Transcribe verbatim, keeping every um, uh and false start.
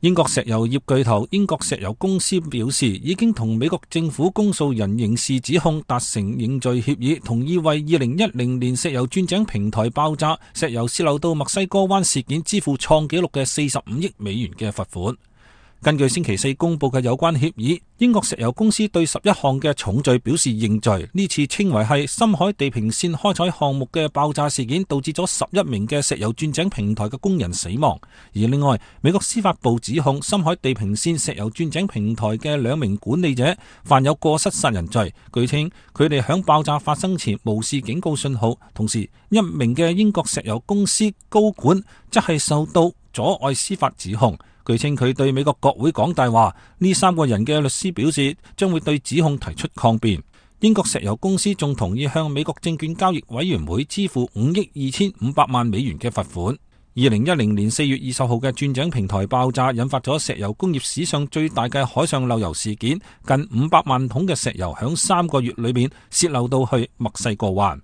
英國石油業巨頭英國石油公司表示，已經同美國政府公訴人刑事指控達成認罪協議，同意為二零一零年石油鑽井平台爆炸、石油洩漏到墨西哥灣事件支付創紀錄嘅四十五億美元嘅罰款。根據星期四公布嘅有關協議，英國石油公司對十一項嘅重罪表示認罪。呢次稱為係深海地平線開採項目嘅爆炸事件，導致咗十一名嘅石油鑽井平台嘅工人死亡。而另外，美國司法部指控深海地平線石油鑽井平台嘅兩名管理者犯有過失殺人罪。據稱，佢哋響爆炸發生前無視警告信號。同時，一名嘅英國石油公司高管則係受到阻礙司法指控。據稱佢對美國國會講大話，呢三個人嘅律師表示將會對指控提出抗辯。英國石油公司仲同意向美國證券交易委員會支付五億二千五百萬美元嘅罰款。二零一零年四月二十號嘅鑽井平台爆炸引發咗石油工業史上最大嘅海上漏油事件，近五百萬桶嘅石油響三個月裏面洩漏到去墨西哥灣。